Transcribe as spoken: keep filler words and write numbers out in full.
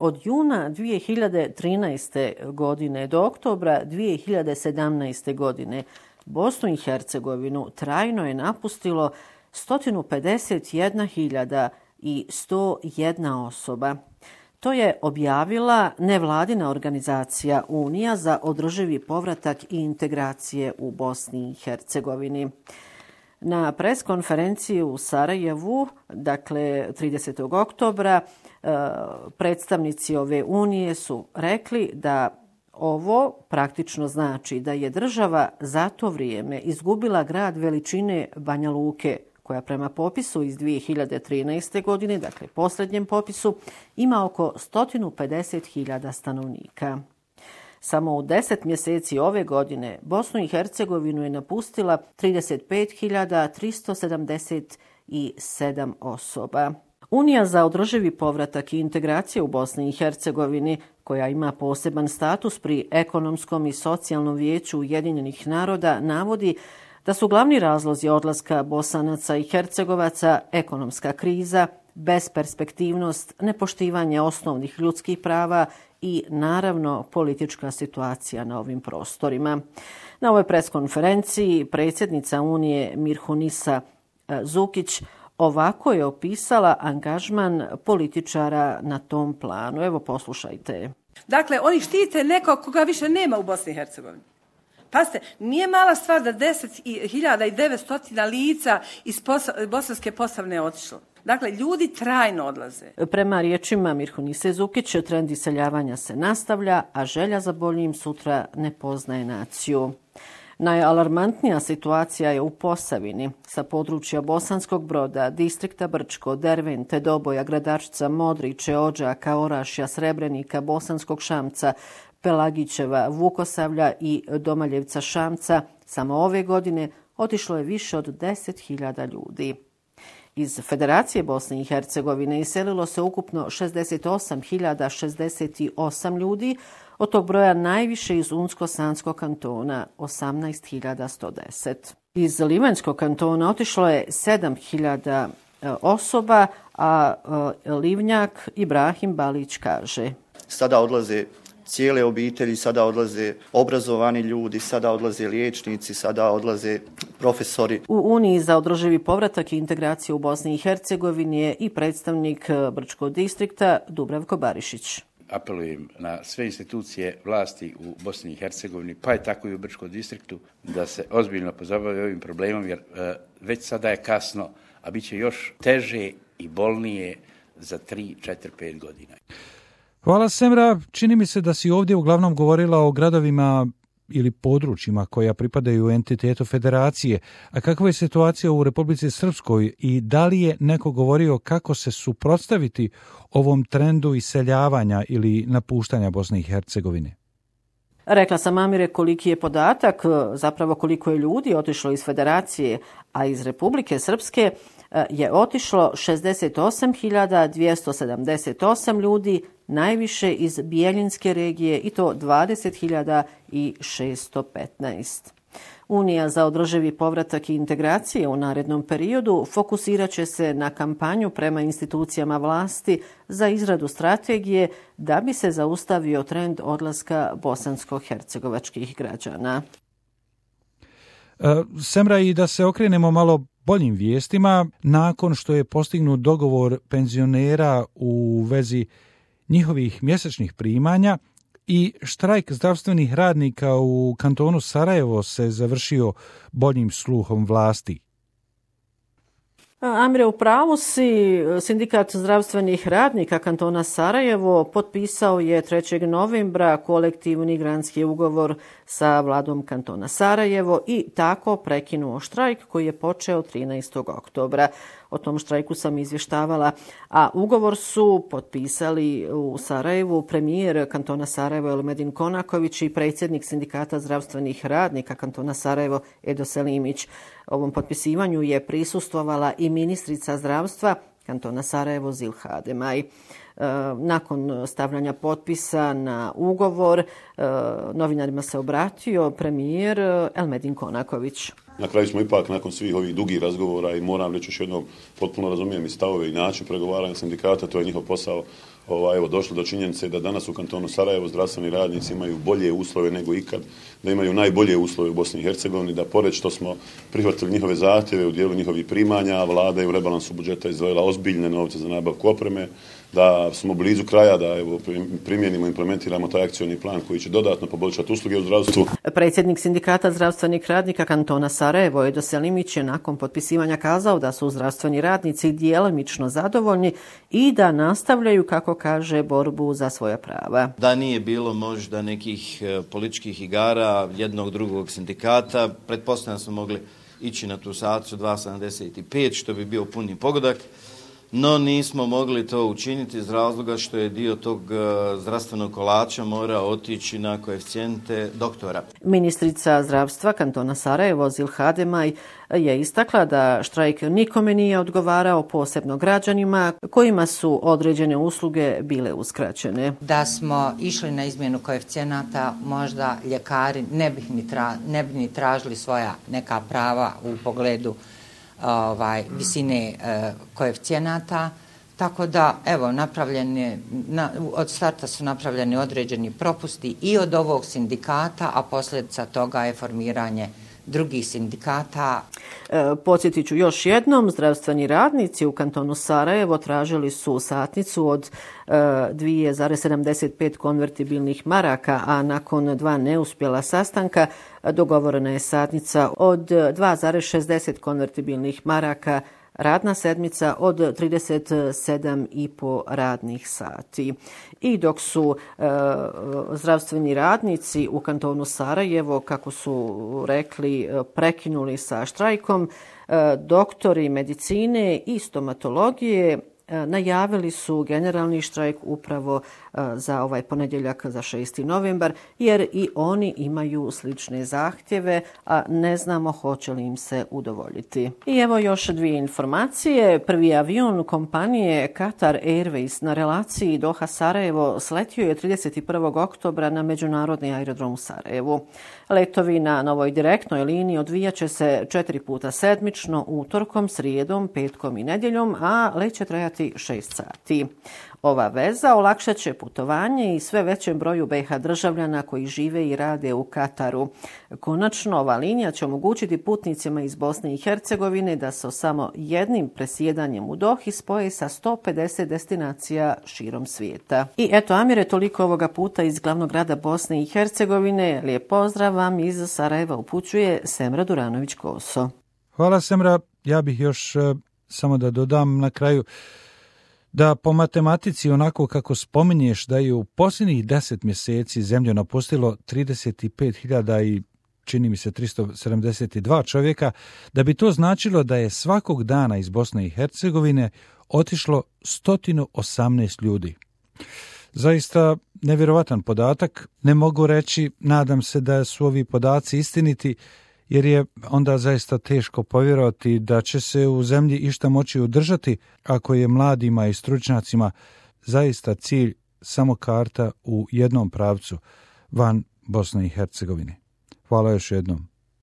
Od juna dvije hiljade trinaeste. godine do oktobra dvije hiljade sedamnaeste. godine Bosnu i Hercegovinu trajno je napustilo sto pedeset jedna hiljada sto jedna osoba. To je objavila nevladina organizacija Unija za održivi povratak i integracije u Bosni i Hercegovini. Na preskonferenciji u Sarajevu, dakle tridesetog oktobra, predstavnici ove unije su rekli da ovo praktično znači da je država za to vrijeme izgubila grad veličine Banja Luke, koja prema popisu iz dvije hiljade trinaeste. godine, dakle posljednjem popisu, ima oko sto pedeset hiljada stanovnika. Samo u deset mjeseci ove godine Bosnu i Hercegovinu je napustila trideset pet hiljada tristo sedamdeset sedam osoba. Unija za održivi povratak i integracije u Bosni i Hercegovini, koja ima poseban status pri ekonomskom i socijalnom vijeću Ujedinjenih naroda, navodi da su glavni razlozi odlaska Bosanaca i Hercegovaca ekonomska kriza, besperspektivnost, nepoštivanje osnovnih ljudskih prava i naravno politička situacija na ovim prostorima. Na ovoj preskonferenciji predsjednica Unije Mirhunisa Zukić ovako je opisala angažman političara na tom planu. Evo, poslušajte. Dakle, oni štite nekog koga više nema u Bosni i Hercegovini. Pazite, nije mala stvar da deset hiljada devetsto lica iz Bosanske Posavine otišlo. Dakle, ljudi trajno odlaze. Prema riječima Mirhunise Zukić, trend iseljavanja se nastavlja, a želja za boljim sutra ne poznaje naciju. Najalarmantnija situacija je u Posavini. Sa područja Bosanskog Broda, distrikta Brčko, Dervente, Doboja, Gradačca, Modriče, Odžaka, Orašja, Srebrenika, Bosanskog Šamca, Pelagićeva, Vukosavlja i Domaljevca Šamca samo ove godine otišlo je više od deset hiljada ljudi. Iz Federacije Bosne i Hercegovine iselilo se ukupno šezdeset osam hiljada šezdeset osam ljudi, od tog broja najviše iz Unsko-Sanskog kantona osamnaest hiljada sto deset. Iz Livanjskog kantona otišlo je sedam hiljada osoba, a Livnjak Ibrahim Balić kaže: Sada odlaze cijele obitelji, sada odlaze obrazovani ljudi, sada odlaze liječnici, sada odlaze profesori. U Uniji za održivi povratak i integraciju u Bosni i Hercegovini je i predstavnik Brčkog distrikta Dubravko Barišić. Apelujem na sve institucije vlasti u Bosni i Hercegovini, pa je tako i u Brčkom distriktu, da se ozbiljno pozabave ovim problemom, jer e, već sada je kasno, a bit će još teže i bolnije za tri, četiri, pet godina. Hvala, Semra. Čini mi se da si ovdje uglavnom govorila o gradovima ili područjima koja pripadaju entitetu federacije. A kakva je situacija u Republici Srpskoj i da li je neko govorio kako se suprotstaviti ovom trendu iseljavanja ili napuštanja Bosne i Hercegovine? Rekla sam, Amire, koliki je podatak, zapravo koliko je ljudi otišlo iz federacije, a iz Republike Srpske je otišlo šezdeset osam hiljada dvjesto sedamdeset osam ljudi, najviše iz Bijeljinske regije, i to dvadeset hiljada šesto petnaest. Unija za održivi povratak i integracije u narednom periodu fokusirat će se na kampanju prema institucijama vlasti za izradu strategije da bi se zaustavio trend odlaska bosansko-hercegovačkih građana. Semra, i da se okrenemo malo boljim vijestima, nakon što je postignut dogovor penzionera u vezi njihovih mjesečnih primanja i štrajk zdravstvenih radnika u kantonu Sarajevo se završio boljim sluhom vlasti. Amire, u pravu si. Sindikat zdravstvenih radnika kantona Sarajevo potpisao je trećeg novembra kolektivni granski ugovor sa vladom kantona Sarajevo i tako prekinuo štrajk koji je počeo trinaestog oktobra. O tom štrajku sam izvještavala, a ugovor su potpisali u Sarajevu premijer kantona Sarajevo Elmedin Konaković i predsjednik sindikata zdravstvenih radnika kantona Sarajevo Edo Selimić. Ovom potpisivanju je prisustvovala i ministrica zdravstva kantona Sarajevo Zilha Demaj. Nakon stavljanja potpisa na ugovor, novinarima se obratio premijer Elmedin Konaković. Na kraju smo ipak nakon svih ovih dugih razgovora, i moram reći još jednom, potpuno razumijem i stavove i način pregovaranja sindikata, to je njihov posao, ovaj, evo, došli do činjenice da danas u kantonu Sarajevo zdravstveni radnici imaju bolje uslove nego ikad, da imaju najbolje uslove u Bosni i Hercegovini, da pored što smo prihvatili njihove zahtjeve u dijelu njihovih primanja, vlada je u rebalansu budžeta izdvojila ozbiljne novce za nabavku opreme, da smo blizu kraja da evo, primijenimo, implementiramo taj akcioni plan koji će dodatno poboljšati usluge u zdravstvu. Predsjednik Sindikata zdravstvenih radnika kantona Sarajevo, Edo Selimić, je nakon potpisivanja kazao da su zdravstveni radnici djelomično zadovoljni i da nastavljaju, kako kaže, borbu za svoja prava. Da nije bilo možda nekih političkih igara jednog drugog sindikata, pretpostavljam smo mogli ići na tu satnicu dva sedamdeset pet, što bi bio puni pogodak. No nismo mogli to učiniti iz razloga što je dio tog zdravstvenog kolača mora otići na koeficijente doktora. Ministrica zdravstva kantona Sarajevo, Zilha Demaj, je istakla da štrajk nikome nije odgovarao, posebno građanima kojima su određene usluge bile uskraćene. Da smo išli na izmjenu koeficijenata, možda ljekari ne bi ni, tra, ne bi ni tražili svoja neka prava u pogledu Ovaj, visine e, koeficijenata, tako da evo napravljeni, na, od starta su napravljeni određeni propusti i od ovog sindikata, a posljedica toga je formiranje drugih sindikata. E, podsjetit ću još jednom, zdravstveni radnici u kantonu Sarajevo tražili su satnicu od e, dva zarez sedamdeset pet konvertibilnih maraka, a nakon dva neuspjela sastanka dogovorena je satnica od dva zarez šezdeset konvertibilnih maraka, radna sedmica od trideset sedam i po radnih sati. I dok su e, zdravstveni radnici u kantonu Sarajevo, kako su rekli, prekinuli sa štrajkom, e, doktori medicine i stomatologije najavili su generalni štrajk upravo za ovaj ponedjeljak, za šesti novembar, jer i oni imaju slične zahtjeve, a ne znamo hoće li im se udovoljiti. I evo još dvije informacije. Prvi avion kompanije Qatar Airways na relaciji Doha-Sarajevo sletio je trideset prvog oktobra na međunarodni aerodrom u Sarajevu. Letovi na novoj direktnoj liniji odvijat će se četiri puta sedmično, utorkom, srijedom, petkom i nedjeljom, a let će trajati šest sati. Ova veza olakšat će putovanje i sve većem broju B iH državljana koji žive i rade u Kataru. Konačno, ova linija će omogućiti putnicima iz Bosne i Hercegovine da se samo jednim presjedanjem u Dohi spoje sa sto pedeset destinacija širom svijeta. I eto, Amire, toliko ovoga puta iz glavnog grada Bosne i Hercegovine. Lijep pozdrav vam iz Sarajeva upućuje Semra Duranović-Koso. Hvala, Semra. Ja bih još uh, samo da dodam na kraju da po matematici, onako kako spominješ, da je u posljednjih deset mjeseci zemlju napustilo trideset pet hiljada i čini mi se tristo sedamdeset dva čovjeka, da bi to značilo da je svakog dana iz Bosne i Hercegovine otišlo sto osamnaest ljudi. Zaista nevjerovatan podatak. Ne mogu reći, nadam se da su ovi podaci istiniti, jer je onda zaista teško povjerovati da će se u zemlji išta moći održati ako je mladima i stručnjacima zaista cilj samo karta u jednom pravcu van Bosne i Hercegovine. Hvala još jednom.